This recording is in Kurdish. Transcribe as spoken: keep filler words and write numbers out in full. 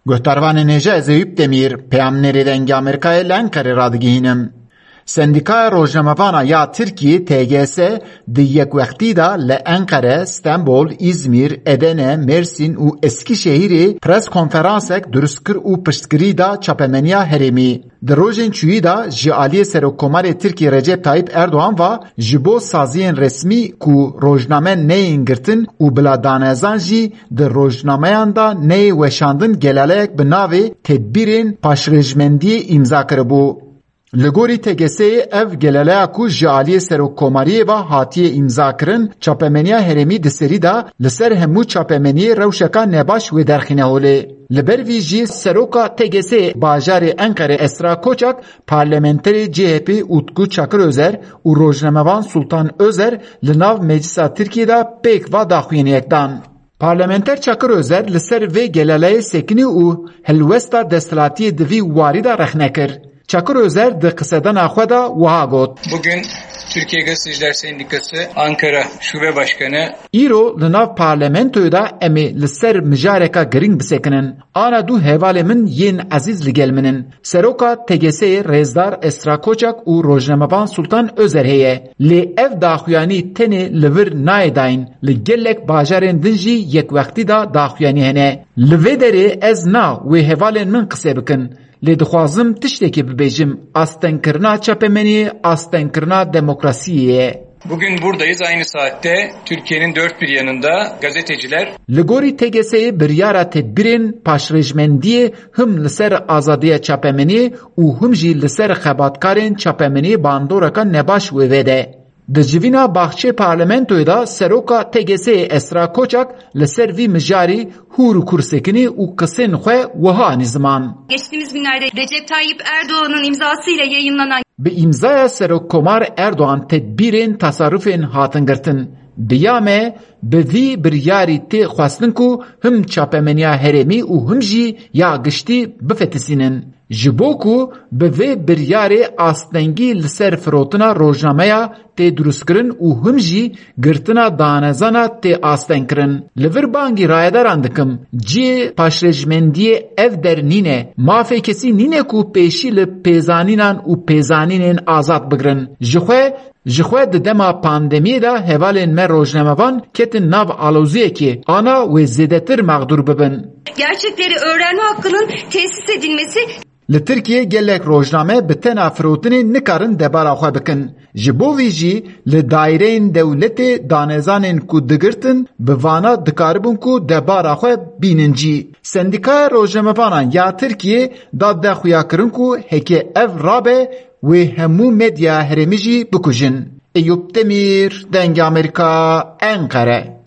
Guhdarvanên hêja, ez Eyüp Demir, peyamnêrê Dengê Amerîkayê li Enqerê radigihînim. Sendîkaya Rojnamevana ya Tirkiyê, T G S, di yekwextî de li Enqere, Stenbol, Îzmîr, Edene, Mêrsîn û Eskîşehîrê pres konferansek dirust kir û piştgirî da çapemeniya herêmî. Di rojên çûyî de ji aliyê Serokkomarê Tirkiyê Recep Tayyip Erdoğan ve ji bo saziyên resmî ku rojname neyên girtin û bila danezan jî di rojnameyan de neyê weşandin, gelaleyek bi navê Tedbîrên Paşrêjmendiyê îmza kiribû. Li gorî T G S'ê ev gelaleya ku ji aliyê Serokkomariyê ve hatiye îmzakirin, çapemeniya herêmî di serî de li ser hemû çapemeniyê rewşeka nebaş wê derxîne holê. Li ber vî jî seroka T G S'ê bajarê Enqerê Esra Koçak, parlamenterê C H P Utku Çakır Özer û rojnamevan Sultan Özer li nav Meclisa Tirkiyê de pêk va daxuyaniyek dan. Parlamenter Çakır Özer li ser vê gelaleyê sekinî û helwesta desthilatiyê di vî warî de rexne kir. Çakır Özer di qisedana xwe de wiha got. Bugün Türkiye Gazeteciler Sendikası Ankara Şube Başkanı. Îro li nav parlamentoyê de em ê li ser mijareka girîng bisekinin. Ana du hevalê min yên ezîz li gel min in. Seroka T G S'ê rêzdar Esra Koçak û rojnamevan Sultan Özer heye. Lê ev daxuyanî tenê li vir nayê dayîn. Li gelek bajarên din jî yekwextî de daxuyanî hene. Li vê derê ez na wê hevalên min qise bikin. Lê dixwazim tiştekê bibêjim, astengkirina çapemeniyê, astengkirina demokrasiyê ye. Bugün buradayız. Aynı saatte Türkiye'nin dört bir yanında gazeteciler. Li gorî T G S'ê biryara tedbîrên paşrêjmendiyê him li ser azadiya çapemeniyê û him jî li ser xebatkarên çapemeniyê bandoreka nebaş wê vede. Di civîna baxçê parlamentoyê de seroka T G S'ê Esra Koçak li ser vî mijarî hûr û kur sekinî û qisên xwe wiha anî ziman. Geçtiğimiz günlerde Recep Tayyip Erdoğan'ın imzasıyla yayınlanan. Bi îmzaya Serokkomar Erdoğan tedbîrên tasarrufên hatin girtin. Bi ya me, bi vî biryarî tê xwestin ku him çapemeniya herêmî û him jî ya giştî bifetisînin. Ji bo ku bi vê biryarê astengî li ser firotina rojnameya tê dirustkirin û him jî girtina danezana tê astengkirin. Li vir bangî rayedaran dikim, cihê paşrêjmendiyê ev der nîne. Mafê kesî nîne ku pêşî li pêzanînan û pêzanînên azad bigrin. Ji xwe, ji xwe di dema pandemiyê de hevalên me rojnamevan ketin nav aloziyekê, ana wê zêdetir mexdûr bibin. Gerçekleri öğrenme hakkının tesis edilmesi. Li Tirkiyê gelek rojname bi tena firotinê nikarin debara xwe bikin. Ji bo vî jî li daîreyên dewletê danezanên ku digirtin, bi vana dikaribin ku debara xwe bînin cî. Sendîkaya Rojnamevanan ya Tirkiyê da de xuyakirin ku heke ev rabe, wê hemû medya herêmî jî bikujin. Eyûp Demîr, Dengê Amerîka, Enqere.